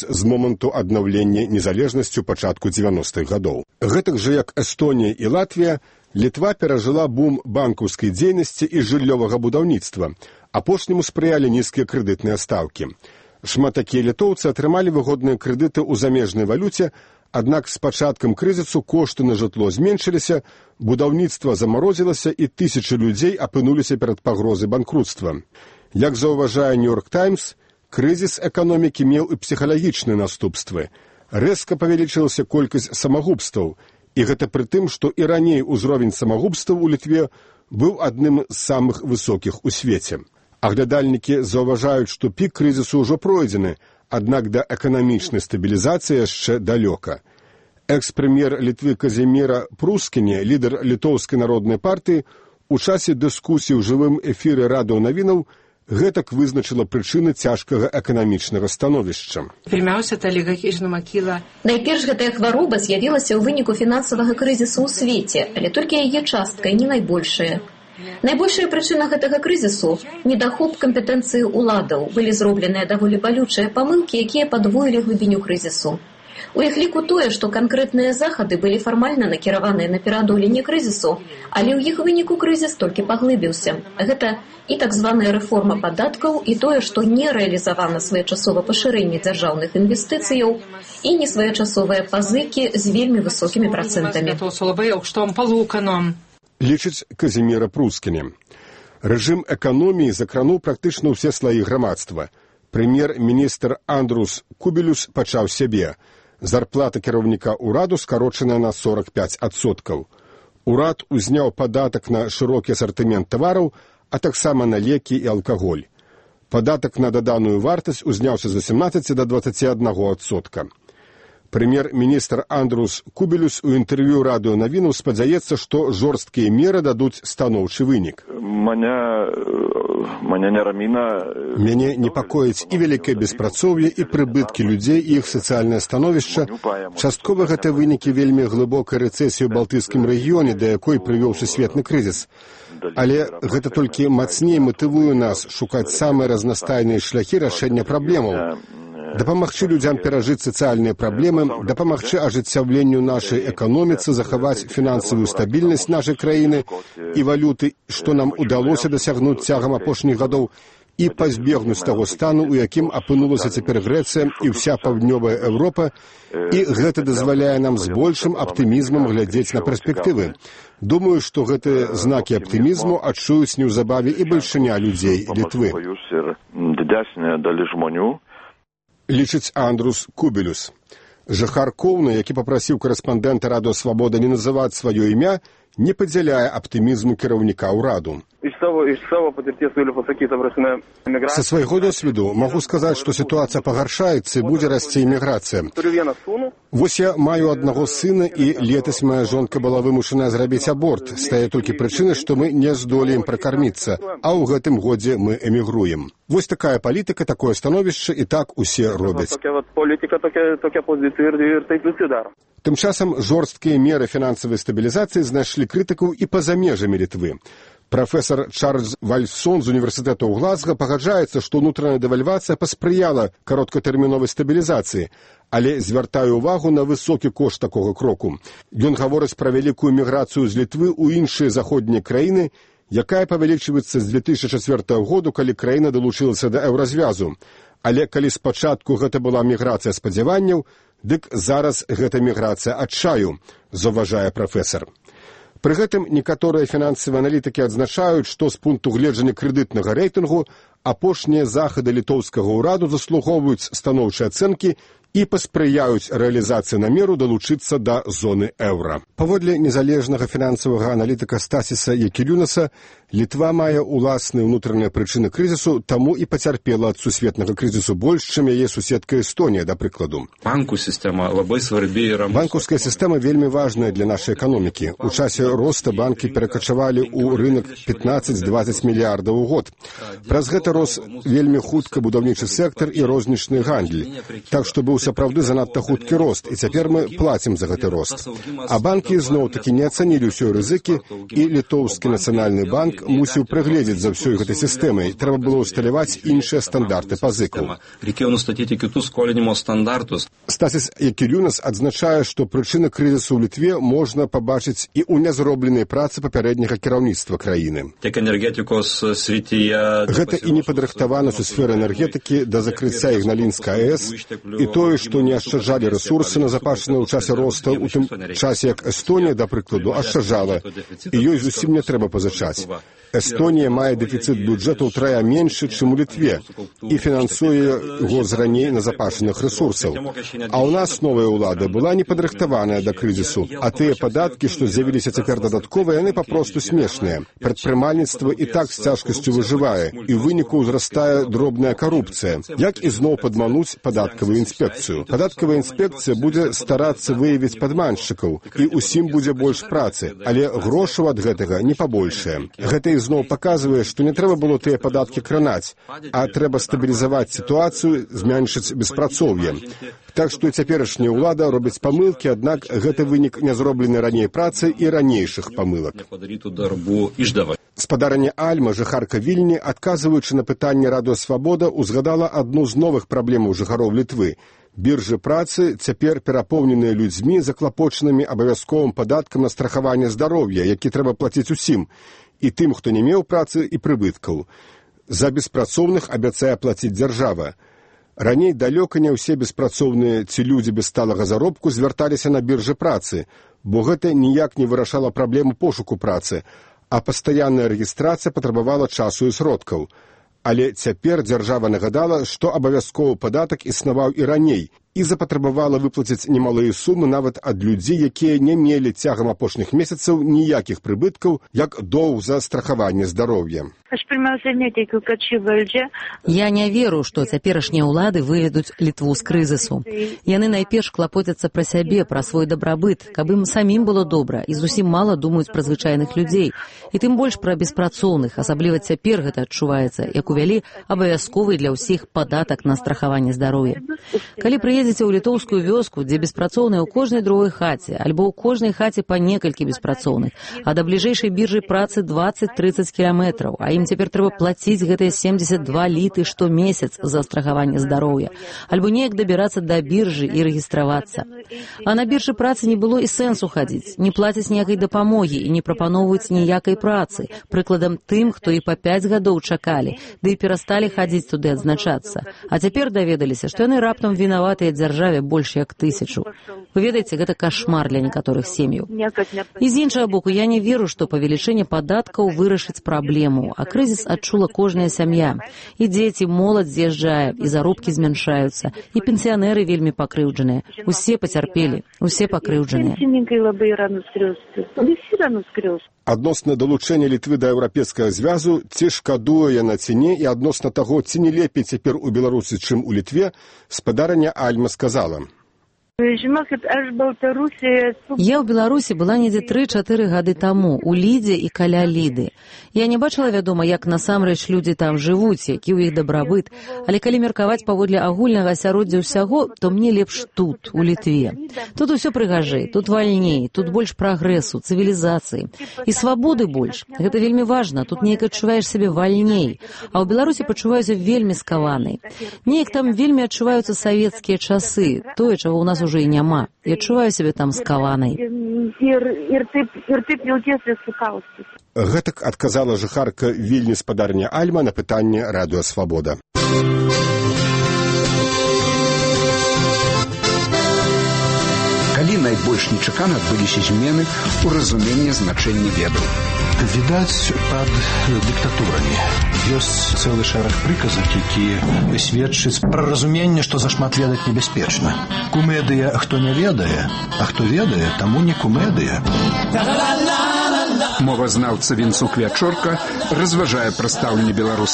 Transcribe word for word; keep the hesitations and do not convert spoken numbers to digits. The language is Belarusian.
з моманту аднаўлення незалежнасці ў пачатку дзевяностых гадоў. Гэтак жа, як Эстонія і Латвія, Літва перажыла бум банкаўскай дзейнасці і жыллёвага будаўніцтва. Апошняму спрыялі нізкія крэдытныя стаўкі. Шмат такія літоўцы атрымалі выгодныя крэдыты ў замежнай валюце, аднак з пачаткам крызісу кошты на жытло зменшыліся, будаўніцтва замарозілася і тысячы людзей апынуліся перад пагрозай банкруцтва. Як заўважае Нью-Йорк Таймс, крызіс эканомікі меў і псіхалагічныя наступствы. Рэзка павялічылася колькасць самагубстваў, і гэта пры тым, што і раней узровень самагубстваў у Літве быў адным з самых высокіх у свеце. Аглядальнікі заўважаюць, што пік крызісу ўжо пройдзены, аднак да эканамічнай стабілізацыі яшчэ далёка. Экс-прэм'ер Літвы Казіміра Прускіні, лідар літоўскай народнай партыі, у часе дыскусіі ў жывым эфіры радыёнавінаў гэтак вызначыла прычыны цяжкага эканамічнага становішча. Найперш гэтая хвароба з'явілася ў выніку фінансавага крызісу ў свеце, але толькі яе частка і не найбольшая. Найбольшая прычына гэтага крызісу – недахоп кампетэнцыі ўладаў. Былі зробленыя даволі балючыя памылкі, якія падвоілі глыбіню крызісу. У іх ліку тое, што канкрэтныя захады былі фармальна накіраваныя на пераадоленне крызісу, але ў іх выніку крызіс толькі паглыбіўся. Гэта і так званая рэформа падаткаў, і тое, што не рэалізавана своечасова пашырэнне дзяржаўных інвестыцыяў і несвоечасовыя пазыкі з вельмі высокімі працэнтамі. Лічыць Казіміра Прускіні. Рэжым эканоміі закрануў практычна ўсе слаі грамадства. Прэм'ер-міністр Андрус Кубелюс пачаў сябе. Зарплата кіраўніка ўраду скарочаная на сорок пяць адсоткаў. Урад узняў падатак на шырокі асартымент тавараў, а таксама на лекі і алкаголь. Падатак на даданую вартасць узняўся з васемнаццаці да дваццаці аднаго адсотка. Прэм'ер-міністр Андрус Кубелюс у інтэрв'ю радыёнавінаў спадзяецца, што жорсткія меры дадуць станоўчы вынік. Мяне непакоіць і вялікае беспрацоўе, і прыбыткі людзей, і іх сацыяльнае становішча. Часткова гэта вынікі вельмі глыбокай рэцэсіі ў балтыйскім рэгіёне, да якой прывёў сусветны крызіс. Але гэта толькі мацней матывуе нас шукаць самыя разнастайныя шляхі рашэння праблемаў. Дапамагчы людзям перажыць сацыяльныя праблемы, дапамагчы ажыццяўленню нашай эканоміцы, захаваць фінансавую стабільнасць нашай краіны і валюты, што нам удалося дасягнуць цягам апошніх гадоў, і пазбегнуць таго стану, у якім апынулася цяпер Грэцыя і ўся паўднёвая Еўропа, і гэта дазваляе нам з большым аптымізмам глядзець на перспектывы. Думаю, што гэтыя знакі аптымізму адчуюць неўзабаве і бальшыня людзей Літвы. Лічыць Андрус Кубелюс. Жыхар Коўна, які папрасіў корэспандэнта Радыё Свабода не называць сваё імя, не падзяляе аптымізму кіраўніка ўраду. Са свайго досведу магу сказаць, што сітуацыя пагаршаецца і будзе расці іміграцыя. Вось я маю аднаго сына, і летась мая жонка была вымушаная зрабіць аборт. З тае толькі прычыны, што мы не здолеем пракарміцца, а ў гэтым годзе мы эмігруем. Вось такая палітыка, такое становішча, і так усе робяць. Тым часам жорсткія меры фінансавай стабілізацыі знайшлі крытыкаў і па-за межамі Літвы. Прафесор Чарльз Вальсон з універсітэту ў Глазга пагаджаецца, што ўнутраная дэвальвацыя паспрыяла кароткатэрміновай стабілізацыі, але звяртае ўвагу на высокі кошт такога кроку. Ён гаворыць пра вялікую міграцыю з Літвы ў іншыя заходнія краіны, якая павялічваецца з две тысячы чацвёртага году, калі краіна далучылася да еўразвязу. Але калі спачатку гэта была міграцыя спадзяванняў, дык зараз гэта міграцыя адчаю, заўважае прафесар. Пры гэтым некаторыя фінансавыя аналітыкі адзначаюць, што з пункту гледжання крэдытнага рэйтынгу апошнія захады літоўскага ўраду заслугоўваюць станоўчыя ацэнкі і паспрыяюць рэалізацыі намеру далучыцца да зоны еўра. Паводле незалежнага фінансавага аналітыка Стасіса Якілюнаса, Літва мае ўласныя ўнутраныя прычыны крызісу, таму і пацярпела ад сусветнага крызісу больш, чым яе суседка Эстонія, да прыкладу. Банкаўская сістэма вельмі важная для нашай эканомікі. У часе роста банкі перакачавалі ў рынак пятнаццаць-дваццаць мільярдаў у год. Праз гэта рос вельмі хутка будаўнічы сектар і рознічны гандль. Так што быў сапраўды занадта хуткі рост, і цяпер мы плацім за гэты рост. А банкі зноў-такі не ацанілі ўсёй рызыкі, і літоўскі нацыянальны банк мусіў прыгледзець за ўсёй гэтай сістэмай. Трэба было ўсталяваць іншыя стандарты пазыкаў. Стасіс Якілюнас адзначае, што прычыны крызісу ў Літве можна пабачыць і ў нязробленай працы папярэдняга кіраўніцтва краіны. Гэта і непадрыхтаванасць у сферы энергетыкі да закрыцця Ігналінскай АЭС, і тое, што не ашчаджалі рэсурсы назапашаныя ў часе росту, у тым часе, як Эстонія, да прыкладу, ашчаджала, і ёй зусім не трэба пазычаць. Эстонія мае дэфіцыт бюджэту ўтрая меншы, чым у Літве, і фінансуе яго з раней назапашаных рэсурсаў. А ў нас новая ўлада была не падрыхтаваная да крызісу, а тыя падаткі, што з'явіліся цяпер дадатковыя, яны папросту смешныя. Прадпрымальніцтва і так з цяжкасцю выжывае, і ў выніку ўзрастае дробная карупцыя. Як ізноў падмануць падаткавую інспекцыю? Падаткавая інспекцыя будзе старацца выявіць падманшчыкаў, і ўсім будзе больш працы, але грошаў ад гэтага не пабольшае. Гэта ізноў паказвае, што не трэба было тыя падаткі кранаць, а трэба стабілізаваць сітуацыю, зменшыць беспрацоўе. Так што цяперашняя ўлада робіць памылкі, аднак гэта вынік нязробленай раней працы і ранейшых памылак. Спадарыня Альма, жыхарка Вільні, адказваючы на пытанне Радыё Свабода, узгадала адну з новых праблемаў жыхароў Літвы. Біржы працы цяпер перапоўненыя людзьмі, заклапочанымі абавязковым падаткам на страхаванне здароўя, які трэба плаціць усім, і тым, хто не меў працы і прыбыткаў. За беспрацоўных абяцае плаціць дзяржава. Раней далёка не ўсе беспрацоўныя ці людзі без сталага заробку звярталіся на біржы працы, бо гэта ніяк не вырашала праблему пошуку працы, а пастаянная рэгістрацыя патрабавала часу і сродкаў. Але цяпер дзяржава нагадала, што абавязковы падатак існаваў і раней, і запатрабавала выплаціць немалыя сумы нават ад людзей, якія не мелі цягам апошніх месяцаў ніякіх прыбыткаў, як доўг за страхаванне здароўя. Я не веру, што цяперашнія ўлады выведуць Літву з крызісу. Яны найперш клапоцяцца пра сябе, пра свой дабрабыт, каб ім самім было добра, і зусім мала думаюць пра звычайных людзей. І тым больш пра беспрацоўных, асабліва цяпер гэта адчуваецца, як увялі абавязковы для ўсіх падатак на страхаванне здароўя. Калі прыедзеце ў літоўскую вёску, дзе беспрацоўныя ў кожнай другой хаце, альбо ў кожнай хаце па некалькі беспрацоўных, а да бліжэйшай біржы працы дваццаць-трыццаць кіламетраў, а ім цяпер трэба плаціць гэтыя семдзесят два літы штомесяц за страхаванне здароўя, альбо неяк дабірацца да біржы і рэгістравацца. А на біржы працы не было і сэнсу хадзіць, не плацяць ніякай дапамогі і не прапаноўваюць ніякай працы, прыкладам тым, хто і па пяць гадоў чакалі, ды і перасталі хадзіць туды адзначацца. А цяпер даведаліся, што яны раптам вінаватыя дзяржаве больш як тысячу. Вы ведаеце, гэта кашмар для некаторых сем'яў. І з іншага боку, я не веру, што павелічэнне падаткаў вырашыць праблему, а крызіс адчула кожная сям'я. І дзеці, моладзь з'язджае, і заробкі змяншаюцца, і пенсіянеры вельмі пакрыўджаныя. Усе пацярпелі, усе пакрыўджаныя. Адносна далучэння Літвы да еўрапейскага звязу, ці шкадуе яна ці не, і адносна таго, ці не лепей цяпер у Беларусі, чым у Літве, спадарыня Альма сказала: Я ў Беларусі была недзе тры-чатыры гады таму, у Лідзе і каля Ліды. Я не бачыла, вядома, як насамрэч людзі там жывуць, які ў іх дабрабыт, але калі меркаваць паводле агульнага асяроддзя ўсяго, то мне лепш тут, у Літве. Тут усё прыгажэй, тут вальней, тут больш прагрэсу, цывілізацыі. І свабоды больш. Гэта вельмі важна, тут неяк адчуваеш сябе вальней. А ў Беларусі пачуваюся вельмі скаванай. Неяк там вельмі адчуваюцца савецкія часы, тое, чаго ў нас уже і няма. Я адчуваю сябе там скаванай. Гэтак адказала жыхарка Вільні спадарня Альма на пытанне Радыё Свабода. Калі найбольш нечакана адбыліся змены ў разуменні значэння ведаў? Відаць, пад дыктатурамі. Ёсць цэлы шэраг прыказак, які сведчыць пра разуменне, што зашмат ведаць небяспечна. Кумедыя, хто не ведае, а хто ведае, таму не кумедыя. Мовазнаўца Вінцук Вячорка разважае пра стаўленне беларусаў